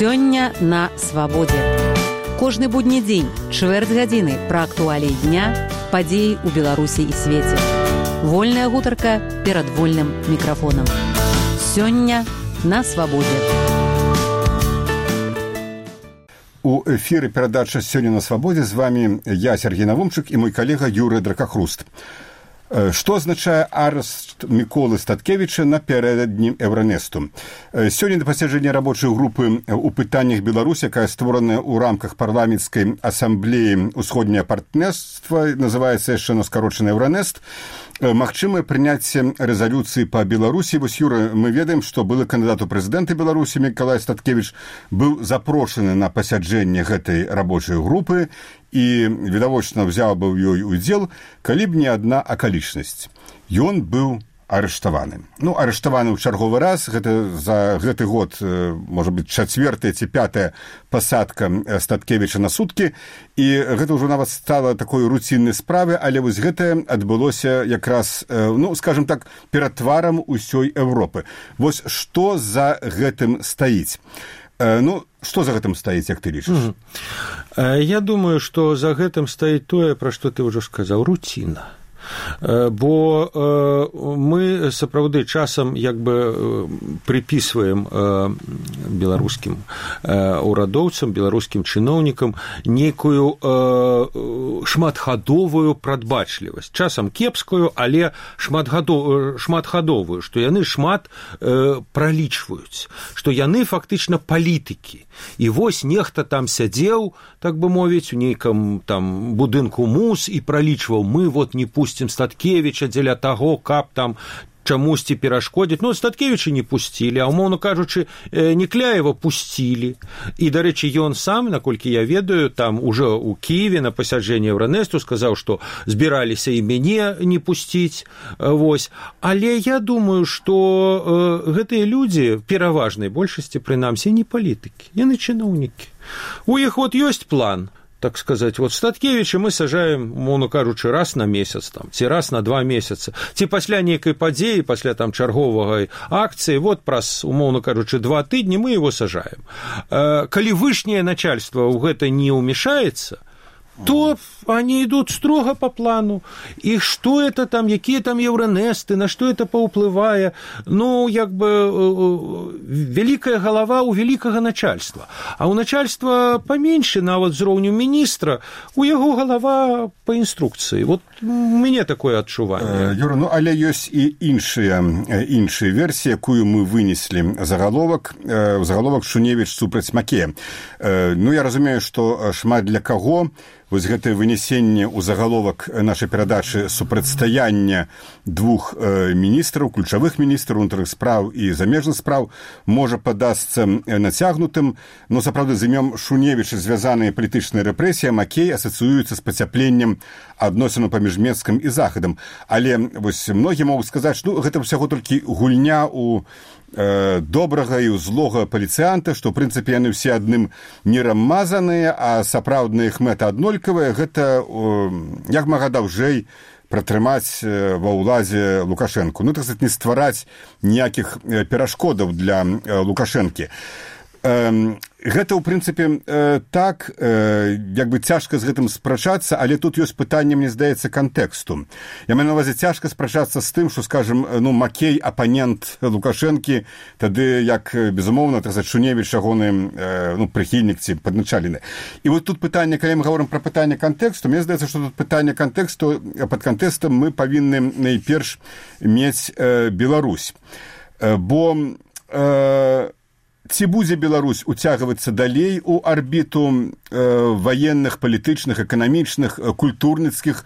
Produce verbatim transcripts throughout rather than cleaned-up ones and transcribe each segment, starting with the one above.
Сёння на свабодзе. Кожны будні дзень, чвэрць гадзіны пра актуаліі дня, падзеі ў Беларусі і свеце. Вольная гутарка перад вольным мікрафонам. Сёння на свабодзе. У эфіры перадача «Сёння на свабодзе» з вами я, Сергей Навумчык, і мой калега Юрый Дракахруст. Што азначае арышт Міколы Статкевіча напярэдадні Еўранесту? Сёння на пасяджэнні рабочай групы ў пытаннях Беларусі, якая створаная ў рамках парламенцкай асамблеі ўсходняе партнерства, называецца яшчэ на скарочаны Еўранест, магчымае прыняцце рэзалюцыі па Беларусі. Вось, Юра, мы ведаем, што былы кандыдат у прэзідэнты Беларусі Мікалай Статкевіч быў запрошаны на пасяджэнне гэтай рабочай групы і, відавочна, взяў бы ў ёй удзел, калі б не адна акалічнасць. Ён быў арыштаваны. Ну, арыштаваны ў чарговы раз. Гэта за гэты год, можа быць, чацвёртая ці пятая пасадка Статкевіча на суткі. І гэта ўжо нават стала такой руціннай справай, але вось гэта адбылося якраз, ну, скажем так, перад тварам усёй Еўропы. Вось што за гэтым стаіць? Ну, што за гэтым стаіць, як ты лічыш? Я думаю, што за гэтым стаіць тое, пра што ты ўжо сказаў, руціна. Бо мы сапраўды часам як бы прыпісваем беларускім урадоўцам, беларускім чыноўнікам нейкую шматгадовую прадбачлівасць. Часам кепскую, але шматгадовую, што яны шмат пралічваюць, што яны фактычна палітыкі. І вось нехта там сядзеў, так бы мовіць, у нейкам там будынку МУС і пралічваў: мы вот не пусцім Статкевіча дзеля таго, каб там чамусьці перашкодзіць. Ну, Статкевіча не пусцілі, а, умоўна кажучы, Некляева пусцілі. І, дарэчы, ён сам, наколькі я ведаю, там уже у Киеве на пасяджэнні Еўранесту сказаў, што збіраліся і мяне не пусціць. Вось. Але я думаю, што гэтыя людзі, пераважнай большасці, прынамсі, не палітыкі, яны чыноўнікі. У іх вот ёсць план, так сказать, вот Статкевіча мы сажаем, умоўна кажучы, раз на месяц, там, ці раз на два месяца, ці пасля нейкай падзеі, пасля там чарговай акцыі, вот праз, умоўна кажучы, два тыдні мы его сажаем. Калі вышняе начальство ў гэта не ўмешаецца, то они идут строго по плану. И что это там, какие там Еўранесты, на что это паўплывае? Ну, як бы, великая голова у великого начальства. А у начальства поменьше, нават з роўню міністра, у яго голова по инструкции. Вот у мяне такое адчуванне. Юра, ну, але ёсць і іншыя, іншыя версіі, якую мы вынеслі загаловак, загаловак Шуневіч супраць Макея. Ну, я разумею, што шмат для каго вось гэтае вынесенне ў загаловак нашай перадачы супрацьстаяння двух міністраў, ключавых міністраў унутраных спраў і замежных спраў можа падасца нацягнутым, но сапраўды з імем Шуневіча звязаныя палітычныя рэпрэсіі, Макей асацыюецца з пацяпленнем адносінаў паміж Менскам і Захадам. Але вось многія могуць сказаць, што ну, гэта ўсяго толькі гульня ў добрага і злога паліцыянта, што, ў прынцыпе, яны ўсе адным мірам мазаныя, а сапраўдная іх мэта аднолькавая, гэта як мага даўжэй пратрымаць ва ўладзе Лукашэнку. Ну, так сказаць, не ствараць ніякіх перашкодаў для Лукашэнкі. Гэта, ў прынцыпе, так, як бы цяжка з гэтым спрачацца, але тут ёсць пытанне, мне здаецца, кантэксту. Я маю на ўвазе цяжка спрачацца з тым, што, скажем, ну, Макей, апанент Лукашэнкі, тады, як, безумоўна, так сказаць, Шуневіч, ягоны, ну, прыхільнік ці падначалены. І вот тут пытанне, калі мы гаворым пра пытанне кантэксту, мне здаецца, што тут пытанне кантэксту, пад кантэкстам мы павінны найперш мець Беларусь. Бо ці будзе Беларусь уцягвацца далей у арбіту э, ваенных, палітычных, эканамічных, культурніцкіх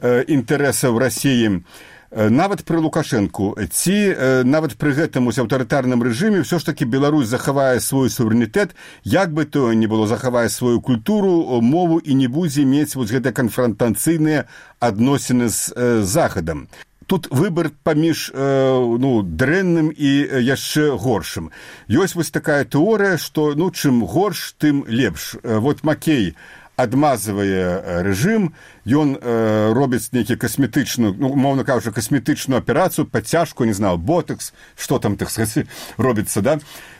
э, інтарэсаў Расіі, э, нават пры Лукашэнку, ці э, нават пры гэтым ось аўтарытарным рэжыме ўсё ж такі Беларусь захавае свой суверэнітэт, як бы то не было, захавае сваю культуру, мову і не будзе мець вось гэтыя канфрантацыйныя адносіны з э, Захадам. Тут выбор паміж ну, дрэнным і яшчэ горшым. Ёсць вось такая тэорыя, што ну, чым горш, тым лепш. Вот Макей адмазвае рэжым, ён э, робіць нейкі касметычную, ну, умоўна кажучы, касметычную аперацыю, подцяжку, не знаю, ботекс, што там так сказаць, робіцца, да,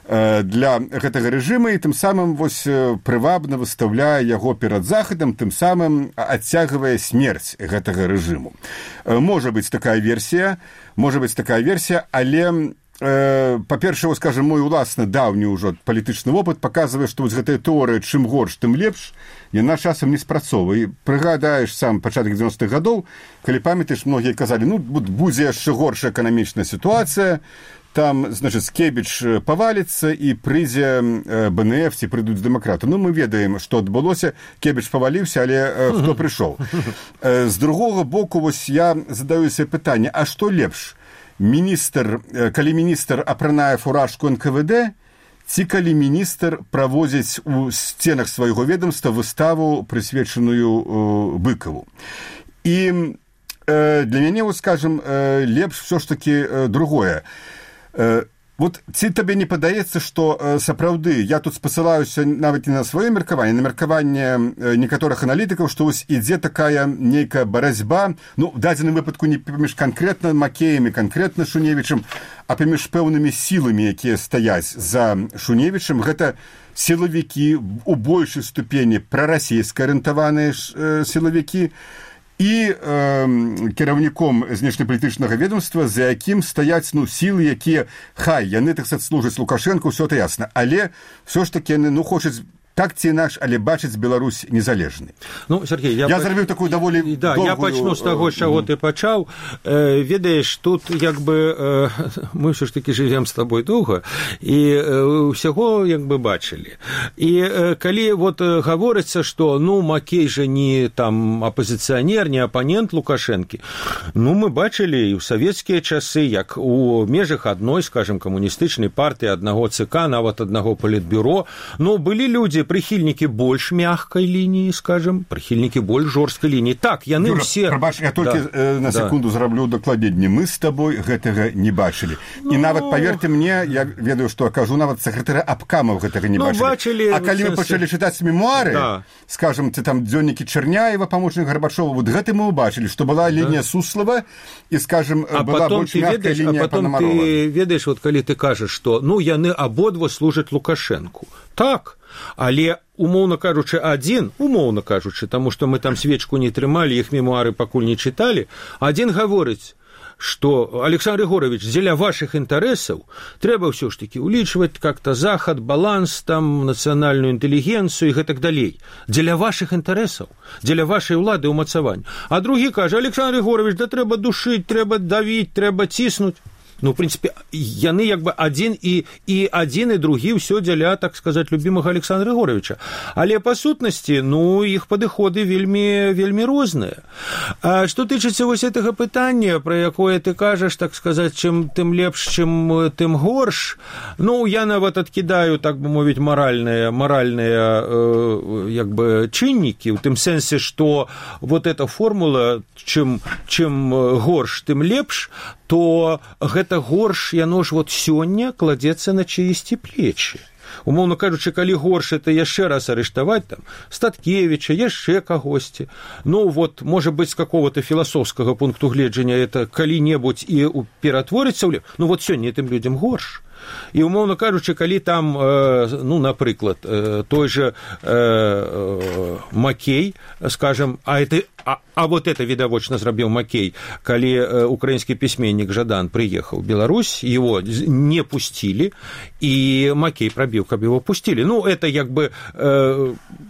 э, для гэтага рэжыма, і тым самым вось прывабна выстаўляе яго перад захадам, тым самым адцягвае смерць гэтага рэжыму. Э, можа быць такая версія, можа быць такая версія, але па-першае, скажем, мой уласны даўні ўжо палітычны вопыт паказвае, што вось гэтая тэорыя чым горш, тым лепш, яна часам не спрацоўвае. Прыгадаеш сам пачатак дзевяностых гадоў, калі памятаеш, многія казалі, ну, будзе яшчэ горшая эканамічная сітуацыя, там, значит, Скебіч паваліцца і прыйдзе бэ эн эф ці прыйдуць дэмакраты. Ну, мы ведаем, што адбылося, Скебіч паваліўся, але хто прыйшоў. З другога боку, вось я задаю себе пытанне, а што лепш? Міністр, калі міністр апранае фуражку эн ка вэ дэ, ці калі міністр праводзіць у сценах свайго ведомства выставу, прысвечаную Быкаву. І э, для мяне, вот, скажем, э, лепш все ж таки э, другое. Э, Вот ці табе не падаецца, што э, сапраўды, я тут спасылаюся нават не на сваё меркаванне, на меркаванне э, некаторых аналітыкаў, што вось ідзе такая нейкая барацьба, ну, в дадзеным выпадку не паміж канкрэтна Макеем і канкрэтна Шуневічам, а паміж пэўнымі сіламі, якія стаяць за Шуневічам. Гэта сілавікі у большай ступені прарасійска арыентаваныя э, сілавікі, і э, кіраўніком знешнепалітычнага ведомства, за якім стаяць, ну, сілы, якія, хай, яны, так сказаць, служаць Лукашэнку, ўсё это ясна, але ўсё ж такі яны, ну, хочуць так ці інакш, але бачыць Беларусь незалежнай. Ну, Сергей, я, я зрабіў такую даволі да, доўгую... Я пачну з таго, з чаго ты пачаў. Э, ведаеш, тут як бы э, мы ўсё ж такі жывем з табой доўга і э, ўсяго як бы бачылі. І э, калі вот э, гаворыцца, што ну Макей жа не там апазіцыянер, не апанент Лукашэнкі, ну мы бачылі і ў савецкія часы, як у межах адной, скажем, камуністычнай партыі, аднаго ЦК, нават аднаго палітбюро, ну былі людзі прыхільнікі больш мягкай лініі, скажем, прыхільнікі больш жорсткай лініі. Так, яны Юра, ўсе... Прабач, я толькі да, э, на секунду да. зраблю дакладненне. Мы з табой гэтага не бачылі. Ну... І нават, паверьте мне, я ведаю, што кажу, нават сакратара абкамаў гэтага не ну, бачылі. бачылі. А калі вы пачалі чытаць мемуары, да. скажем, ці там дзённікі Чарняева, памочнік Гарбачова, вот гэта мы ўбачылі, што была лінія да. Суслава і, скажем, а была больш мягкая лінія Панамарова. А потом ты ведаеш, вот калі ты кажаш, што ну яны абодва служаць Лукашэнку. Так, але умоўна кажучы адзін, умоўна кажучы, таму што мы там свечку не трымалі, іх мемуары пакуль не чыталі, адзін гаворыць, што Александр Егорович, дзеля вашых інтарэсаў трэба ўсё ж такі улічваць как-то захад, баланс, там, нацыянальную інтэлігенцыю і гэтак далей. Дзеля вашых інтарэсаў, дзеля вашай улады ўмацавання. А другі кажа, Александр Егорович, да трэба душыць, трэба давіць, трэба ціснуць. Ну, в принципе, яны як бы адзін і, і адзін і другі ўсё дзеля, так сказаць, любімага Александра Егоровича. Але па сутнасці, ну, іх падыходы вельмі, вельмі розныя. А што тычыцца вось гэтага пытання, пра якое ты кажаш, так сказаць, чым тым лепш, чым тым горш, ну, я нават адкідаю, так бы мовіць, маральныя, маральныя э, як бы чыннікі, у тым сэнсе, што вот эта формула, чым, чым горш, тым лепш, то гэта горш, яно ж вот сёння кладзецца на чыісьці плечы. Умоўна кажучы, калі горш, это яшчэ раз арыштаваць там Статкевіча, яшчэ кагосьці. Ну вот, можа быць, з какого-то філасофскага пункту гледжання это калі-небудзь і ператворыцца ў лепш. Ну вот сёння гэтым людзям горш. І, умоўна кажучы, калі там, ну, напрыклад, той же Макей, скажем, а, это, а, а вот это відавочна зрабіў Макей, калі украінскі пісьменнік Жадан прыехаў в Беларусь, его не пустили, и Макей пробіў, каб его пустили. Ну, это як бы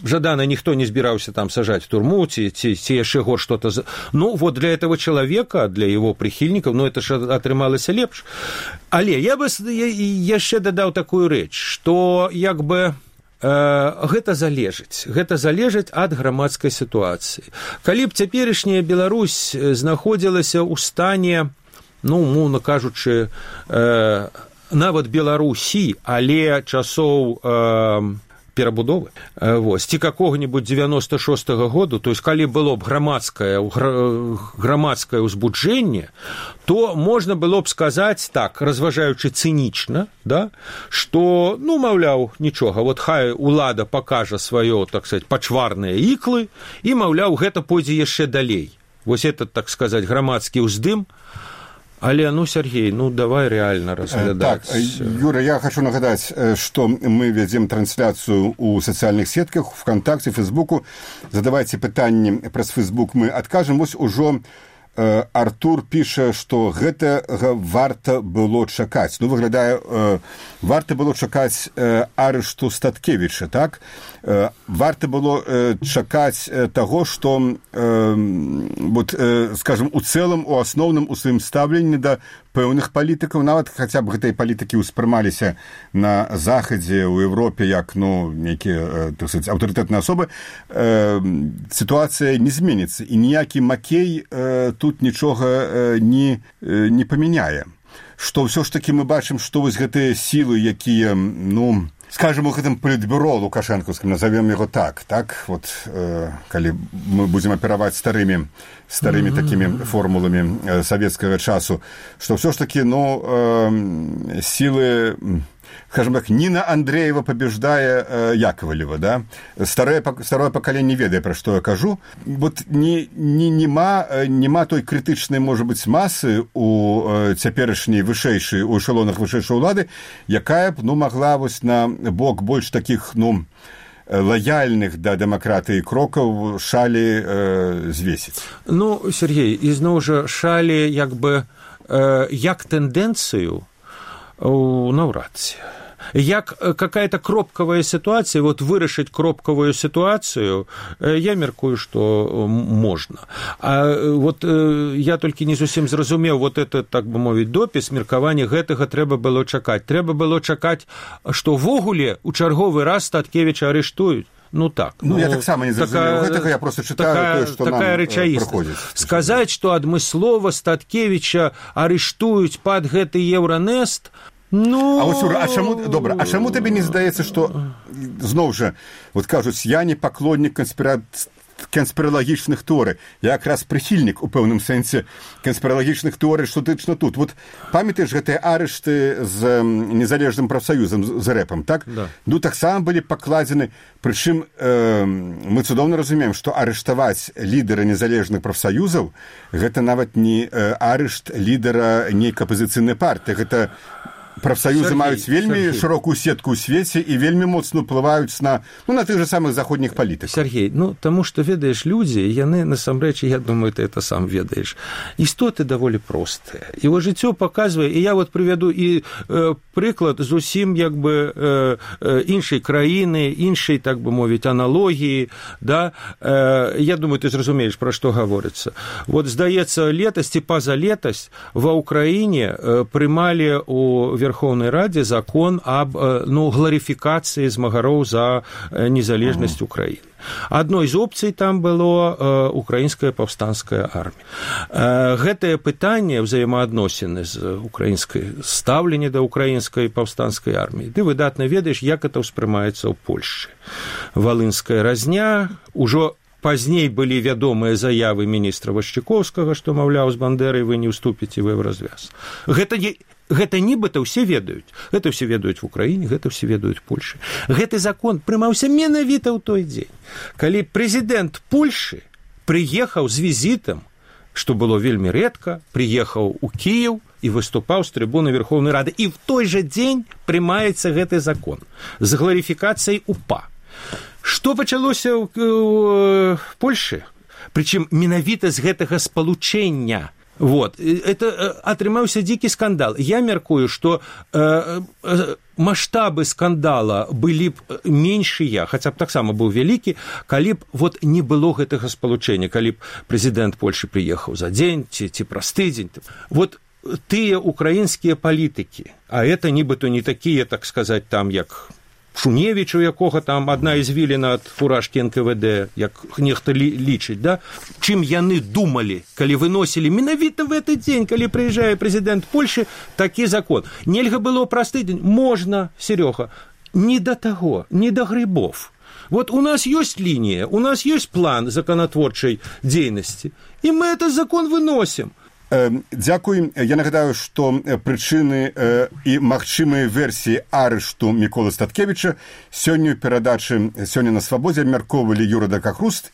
Жадана ніхто не збіраўся там сажать в турму, ці, ці, ці яшчэ горш что-то. Ну, вот для этого человека, для его прихильников, ну, это ж атрымалася лепш. Але я бы яшчэ дадаў такую рэч, што як бы э, гэта залежыць, гэта залежыць ад грамадскай сітуацыі. Калі б цяперашняя Беларусь знаходзілася ў стане, ну, умоўна кажучы, э, нават Беларусі, але часоў э, перабудовы вось ці какого-нибудь девяносто шестого году, то есть калі было б грамадскае грамадскае ўзбуджэнне, то можна было б сказаць так, разважаючы цынічна, да, што ну маўляў нічога, вот хай улада пакажа сваё, так сказать, пачварныя іклы і маўляў гэта пойдзе яшчэ далей. Вось этот, так сказать, грамадскі ўздым. Але, ну, Сергей, ну, давай реально разглядать. Так, Юра, я хочу нагадать, что мы ведем трансляцию у социальных сетках, ВКонтакте, Фейсбуку. Задавайте пытанні праз Фейсбук, мы откажем. Вось ужо э, Артур піша, што гэтага варта было чакаць. Ну, выглядае, э, варта было чакаць э, арышту Статкевіча, так? Э, варта было э, чакаць э, таго, што, э, вот, э, скажем, у цэлым, у асноўным, у сваім стаўленні да пэўных палітыкаў, нават хаця б гэтыя палітыкі ўспрымаліся на Захадзе, у Европе, як, ну, нейкія, так сказать, аўтарытэтныя асобы, э, сітуацыя не зменіцца, і ніякі Макей э, тут нічога э, не, э, не памяняе. Што ўсё ж такі мы бачым, што вось гэтыя сілы, якія, ну, скажем, у гэтым палітбюро лукашэнкаўскім, назовем яго так, так, вот, э, калі мы будзем апераваць старымі, старымі mm-hmm. такімі формуламі э, савецкага часу, што ўсё ж такі, ну, э, сілы, скажем так, Нина Андреева побеждая э, Яковлева, да? Старое, старое поколение ведае, пра што я кажу. Вот не, не, нема, нема той крытычнай, можа быць, масы у э, цяперашняй вышэйшай, у эшелонах вышэйшай улады, якая б, ну, магла вось на бок больш такіх, ну, лояльных да дэмакратыі крокаў шалі э, звесіць. Ну, Сергей, ізноў жа шалі, як бы, э, як тэндэнцыю, наўрад ці. Як какая-то кропкавая ситуация, вот вырашыць кропкавую ситуацию, я меркую, что можно. А вот я толькі не зусім зразумеў вот это, так бы мовіць, допіс, меркаванне гэтага трэба было чакаць. Трэба было чакаць, што ввогуле у чарговы раз Статкевіча арыштуюць. Ну так. Ну, ну я таксама не зразумеў гэтага, я просто чытаю такая, тое, што такая нам прыходзіць. Сказаць, што адмыслова Статкевіча арыштуюць пад гэты Еўранест, ну... А вось, Юра, а чаму, добра, а чаму табе не здаецца, што, зноў жа, вот кажуць, я не паклоннік канспіра... канспіралагічных тэорый. Я якраз прыхільнік у пэўным сэнсе канспіралагічных тэорый, што тычна тут. Вот памятаеш гэтыя арышты з незалежным прафсаюзам, з рэпам, так? Да. Ну, таксама былі пакладзены, прычым э, мы цудоўна разумеем, што арыштаваць лідара незалежных прафсаюзаў гэта нават не э, арышт лідара нейкай апазіцыйнай партыі, гэта прафсаюзы Сергей, маюць вельмі Сергей. шырокую сетку ў свеце і вельмі моцна ўплываюць на, ну, на тых же самых заходніх палітыкаў. Сергей, ну, таму што, ведаеш, людзі, яны, насамрэч, я думаю, ты это сам ведаеш, істоты даволі простыя. І вот жыццё паказвае, і я вот прывяду і э, прыклад зусім, як бы, э, э, іншай краіны, іншай, так бы мовіць, аналогіі, да, э, я думаю, ты зразумееш, пра што гаворыцца. Вот, здаецца, летась ці паза летась ва Ўкраіне э, прымалі у Верховной Раде закон об, ну, гларификации змагароў за незалежнасць Украины. Одной из опций там было украинская паўстанская армія. Гэтае пытанне ўзаемаадносіны з украінскай стаўленне да украінскай паўстанскай арміі. Ты выдатна ведаеш, як это ўспрымаецца ў Польшчы. Валынская разня, ужо пазней былі вядомыя заявы міністра Вашчыкоўскага, што, маўляў, з Бандэрай вы не ўступіце вы ў развяз. Гэта не... Гэта нібыта ўсе ведаюць. Гэта ўсе ведаюць в Украіне, гэта ўсе ведаюць в Польшы. Гэты закон прымаўся менавіта ў той дзень, калі прэзідэнт Польшы прыехаў з візітам, што было вельмі рэдка, прыехаў у Кіеў і выступаў з трыбуны Верховнай Рады. І в той жа дзень прымаецца гэты закон з гларифікацыяй УПА. Што пачалося ў Польшы? Прычым менавіта з гэтага спалучэння. Вот. Это атрымаўся дзікі скандал. Я меркую, што э, э, маштабы скандала былі б меншыя, хаця б таксама быў вялікі, калі б вот не было гэтага спалучэння, калі б прэзідэнт Польшы прыехаў за дзень ці, ці праз тыдзень. Вот тыя украінскія палітыкі, а это нібыта не такія, так сказаць, там, як Шуневіч, у якога там адна извіліна ад фуражкі эн ка вэ дэ, як нехта лічыць, да? Чым яны думалі, калі выносілі менавіта в гэты дзень, калі прыязджае прэзідэнт Польшы, такі закон. Нельга было праз тыдзень? Можна, Серёга. не до того, не до грибов. Вот у нас есть линия, у нас есть план законотворчей деятельности, и мы этот закон выносим. Дзякуй. Я нагадаю, што прычыны і магчымыя версіі арышту Міколы Статкевіча сёння ў перадачы «Сёння на свабодзе» абмяркоўвалі Юра Дакахруст